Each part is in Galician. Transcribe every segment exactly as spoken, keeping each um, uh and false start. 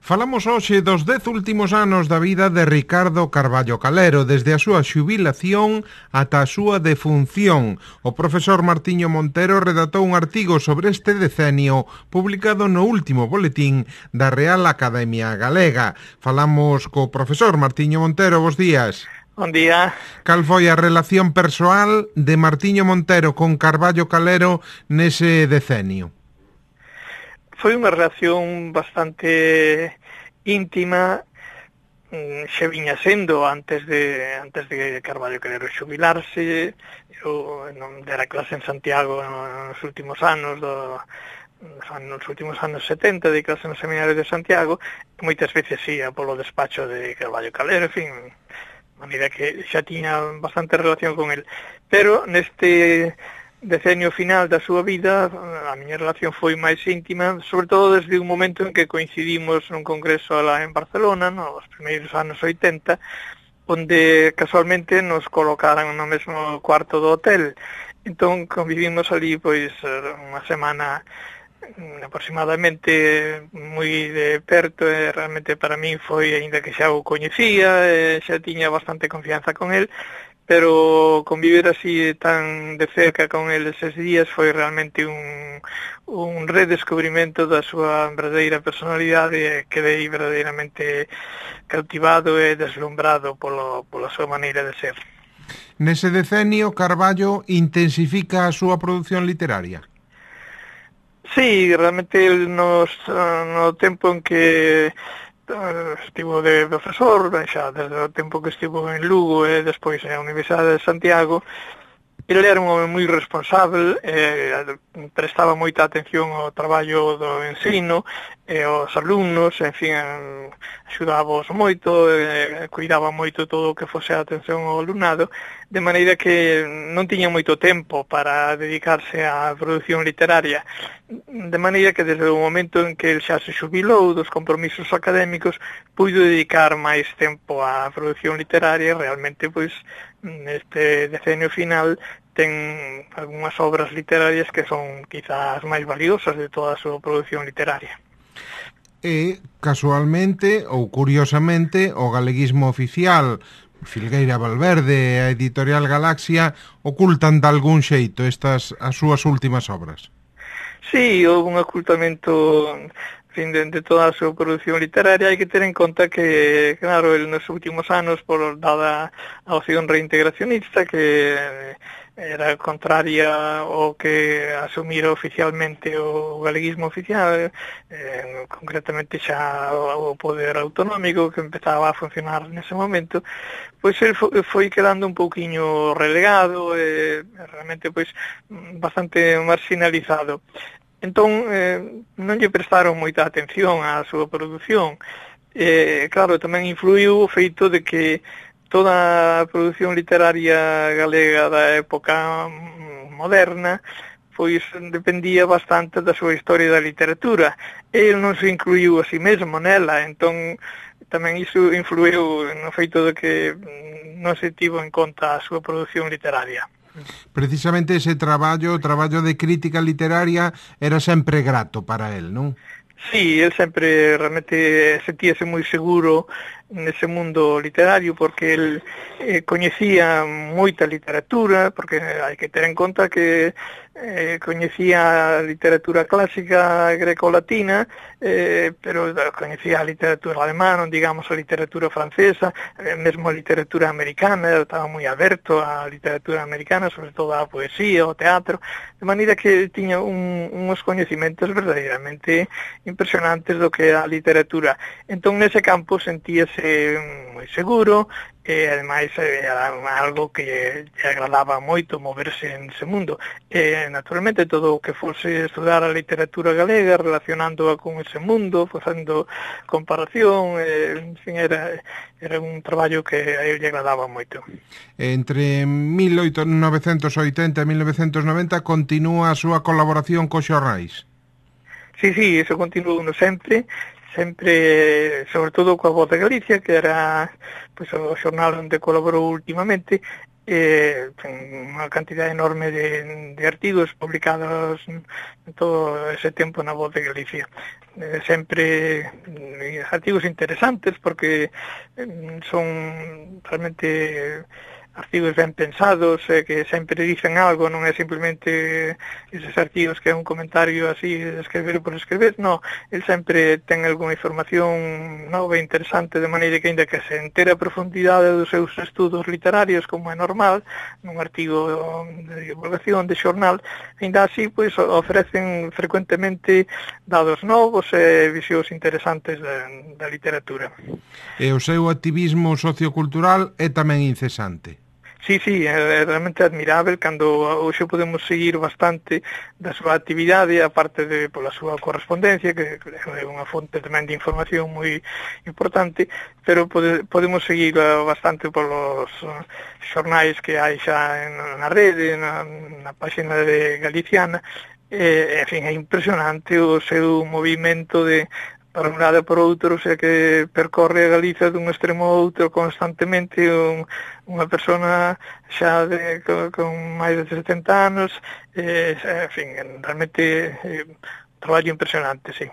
Falamos hoxe dos dez últimos anos da vida de Ricardo Carballo Calero, desde a súa xubilación ata a súa defunción. O profesor Martiño Montero redactou un artigo sobre este decenio publicado no último boletín da Real Academia Galega. Falamos co profesor Martiño Montero. Bos días. Bon día. Cal foi a relación persoal de Martiño Montero con Carballo Calero nese decenio? Foi unha relación bastante íntima, xa viña sendo antes de antes de Carballo Calero xubilarse. Eu non dera clase en Santiago nos últimos anos do nos últimos anos setenta, de clase no seminario de Santiago, e moitas veces ia polo despacho de Carballo Calero, en fin, de maneira que xa tiña bastante relación con el. Pero neste decenio final da súa vida a miña relación foi máis íntima, sobre todo desde un momento en que coincidimos nun congreso lá en Barcelona, nos primeiros anos oitenta, onde casualmente nos colocaran no mesmo cuarto do hotel. Entón convivimos ali pois unha semana aproximadamente moi de perto, e realmente para min foi, aínda que xa o coñecía, e xa tiña bastante confianza con el, pero convivir así tan de cerca con el eses días foi realmente un, un redescubrimento da súa verdadeira personalidade, e quedei verdadeiramente cautivado e deslumbrado polo, pola súa maneira de ser. Nese decenio, Carballo intensifica a súa produción literaria? Sí, realmente nos, no tempo en que estivo de profesor, xa desde o tempo que estivo en Lugo e despois na Universidade de Santiago, ele era un home moi responsable, eh, prestaba moita atención ao traballo do ensino e aos alumnos, en fin, axudábamos moito, eh, cuidaba moito todo o que fose a atención ao alumnado, de maneira que non tiña moito tempo para dedicarse á produción literaria, de maneira que desde o momento en que el xa se xubilou dos compromisos académicos, puido dedicar máis tempo á produción literaria. Realmente, pois, neste decenio final ten algunhas obras literarias que son quizás máis valiosas de toda a súa produción literaria. E, casualmente, ou curiosamente, o galeguismo oficial, Filgueira Valverde e a editorial Galaxia ocultan de algún xeito estas as súas últimas obras. Sí, houve un ocultamento, en fin, de, de toda a súa produción literaria. Hai que ter en conta que, claro, el nos últimos anos, por dada a opción reintegracionista, que era contraria ao que asumira oficialmente o galeguismo oficial, eh, concretamente xa o poder autonómico que empezaba a funcionar nese momento, pois el foi quedando un pouquiño relegado e realmente pois bastante marginalizado. Entón, eh, non lle prestaron moita atención á súa produción. Eh, claro, tamén influiu o feito de que toda a produción literaria galega da época moderna pois dependía bastante da súa historia da literatura. El non se incluiu a si mesmo nela, entón tamén iso influiu no feito de que non se tivo en conta a súa produción literaria. Precisamente ese traballo, o traballo de crítica literaria, era sempre grato para el, non? Sí, el sempre realmente sentíase moi seguro nese mundo literario, porque el eh, coñecía moita literatura, porque hai que ter en conta que eh, coñecía a literatura clásica greco-latina, eh, pero coñecía a literatura alemana, digamos a literatura francesa, eh, mesmo a literatura americana, estaba moi aberto á literatura americana, sobre todo a poesía, ao teatro, de maneira que tiña un, uns coñecimentos verdadeiramente impresionantes do que é a literatura. Entón, nese campo sentíase moi seguro, e ademais era algo que lle agradaba moito moverse en ese mundo. E naturalmente todo o que fose estudar a literatura galega, relacionándoa con ese mundo, facendo comparación, e, en fin, era, era un traballo que a ele lle agradaba moito. Entre mil novecentos oitenta e mil novecentos noventa continúa a súa colaboración co xornais? Sí, sí, eso continuou sempre. sempre, sobre todo coa Voz de Galicia, que era pois, o xornal onde colaborou últimamente, e ten unha cantidad enorme de, de artigos publicados en todo ese tempo na Voz de Galicia. Eh, sempre eh, artigos interesantes porque eh, son realmente artigos ben pensados, eh, que sempre dicen algo, non é simplemente eses artigos que é un comentario así de escrever por escrever, no, el sempre ten algunha información nova e interesante, de maneira que ainda que se entera a profundidade dos seus estudos literarios, como é normal, nun artigo de divulgación, de xornal, ainda así, pois, ofrecen frecuentemente dados novos e visións interesantes da, da literatura. E o seu activismo sociocultural é tamén incesante. Sí, sí, é realmente admirável cando hoxe podemos seguir bastante da súa actividade, aparte de pola súa correspondencia, que é unha fonte tamén de información moi importante, pero pode, podemos seguir bastante polos xornais que hai xa na rede, na, na página de Galiciana, e, en fin, é impresionante o seu movimento de para un lado e por outro, o sea que percorre a Galiza dun extremo a outro constantemente, un, unha persona xa de, con, con máis de setenta anos, eh, en fin, realmente eh, un traballo impresionante, sí.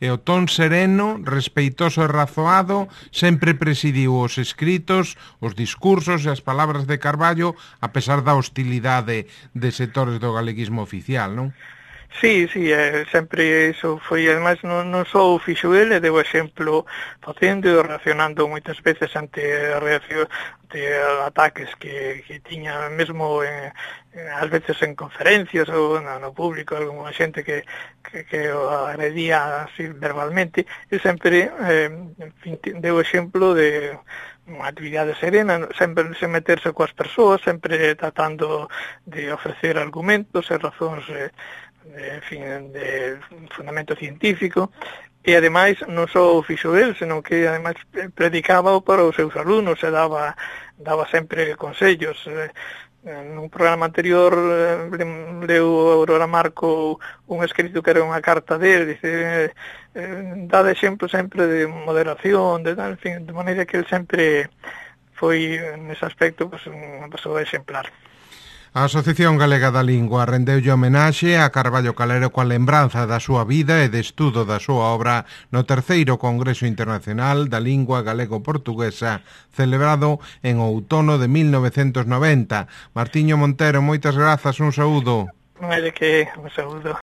E o ton sereno, respeitoso e razoado sempre presidiu os escritos, os discursos e as palabras de Carballo, a pesar da hostilidade de sectores do galeguismo oficial, non? Sí, sí, eh, sempre iso foi, ademais, non, non só o fixo ele, deu exemplo facendo e reaccionando moitas veces ante a reacción de ataques que, que tiña mesmo en, en, ás veces en conferencias ou no, no público, alguna xente que, que, que o agredía así verbalmente, e sempre eh, en fin, deu exemplo de unha actividade serena, sempre sen meterse coas persoas, sempre tratando de ofrecer argumentos e razóns eh, de, en fin, de fundamento científico, e ademais non só o fixo el, senón que ademais predicaba para os seus alumnos e daba, daba sempre consellos. Nun programa anterior leu Aurora Marco un escrito que era unha carta dele, dice, eh, dá de exemplo sempre de moderación, de tal, en fin, de maneira que el sempre foi nese aspecto pues, unha persoa exemplar. A Asociación Galega da Lingua rendeulle homenaxe a Carballo Calero coa lembranza da súa vida e de estudo da súa obra no terceiro Congreso Internacional da Lingua Galego-Portuguesa celebrado en outono de mil novecentos noventa. Martiño Montero, moitas grazas, un saúdo. Non hai de que, un saúdo.